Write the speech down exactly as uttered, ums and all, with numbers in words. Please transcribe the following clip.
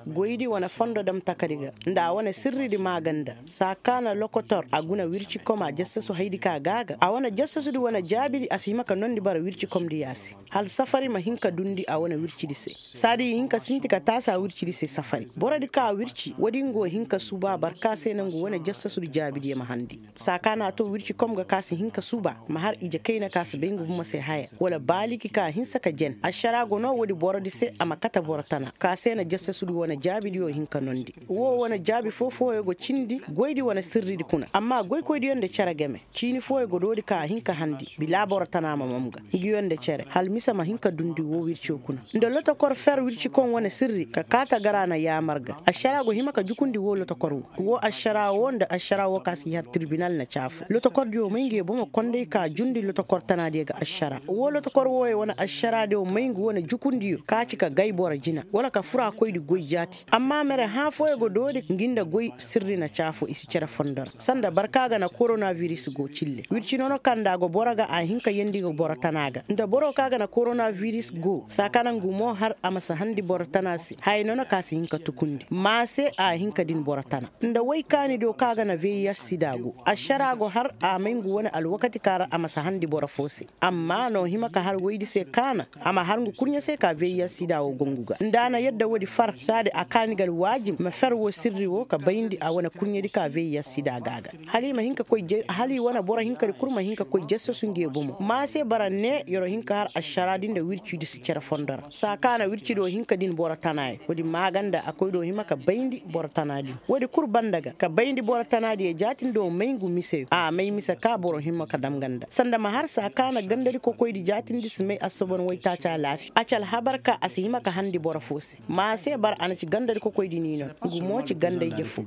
Goydi wane fondo dam takadi ga nda a wane sirridi maaganda saa ka na lokotor a guna wircikom a jassasu haydi ka gaaga a wane jassasudi wane jaabidi a si hima ka nondi bara wircikomdi yaasi. Hal safari ma hin ka dundi a wane wircidi se saadi i hin ka sinti ka taasi a wircidi se safari borodi ka wirci woodi nga wo hin ka suuba bara ka se nangu wane jassasudi jaabidiyo ma handi. Saa ka na to wircikom ga ka si hin ka suuba ma har ije kayna ka si bay nga bumo se haya wala baaliki ka hinsa ka jen ašaraa go no woodi borodi se a ma kate boro tana ka se na jasasudi wane jaabidiyo hin ka nondi. Woo wane jaabi foo-fooyo go cindi goydi wane sirridi kuna amma goykoydiyo nda cere game ciini fooyo go doodi ka a hin ka handi bilaa boro tana ma mam ga. Nguyo nda cere hal mise ma hin ka dundi woo wirco kuna nda lotokor fer wircikoŋ wane sirri ka kaata ga ra na yaamar ga ašaraa go hima ka jukundi woo lotokor woo woo ašaraa woo nda ašaraa woo ka si har tirbinal na caafo lotokordiyo may nguyo bomo konday ka jundi lotokor tanaadiyo ga ašaraa woo lotokor wooyo wane ašaraadiyo may ngu wane jukundiyo ka ci ka gay boro jina wala ka furaakoydi goy jaati amma mere hãa fooyo go doori ngi nda goy sirri na caafo i si cere fondo ra sanda barka ga na koronabiris go cille wirci nono kaŋ nda a go boro ga a hin ka yeendi ga boro tana ga nda boro ka ga na koronabiris go saa ka na ngu mo har a ma si handi boro tana se haya nono ka si hin ka tukundi maa se a hin ka din boro tana nda woy kaanidiyo ka ga na veiyas sida go ašaraa go har a may ngu wane alwakati ka ra a ma si handi boro foo se amma no hima ka har woydi se ka na a ma har ngu kurɲe se ka veiyas sida wo go ngu ga nda a na yadda woodi far saadi a kaani ga alwaajib ma fer woo sirri woo ka bayndi a wane kurɲedi ka veiyas sida ga a ga hala i ma hin ka koy hala i wane boro hinkadi kul ma hin ka koy jasasu nge bomo maa se bara ne yer wo hin ka har ašaraadi nda wircidi si cere fondo ra saa ka na wircidiyo hin ka din boro tanaayo woodi maaganda a koydiyo hima ka bayndi boro tanaadi woodi kul banda ga ka bayndi boro tanaadiyo jaatindiyo may ngu miseyo a may mise ka boro hima ka dam ganda sanda ma har saa ka na gandadi kokoydi jaatindi si may assobon waytaaci alaafiya a ci alhabar ka a si hima ka handi boro foo se maa se bara a na ci gandadi kokoydi niino ngu mo ci ganda ije foo.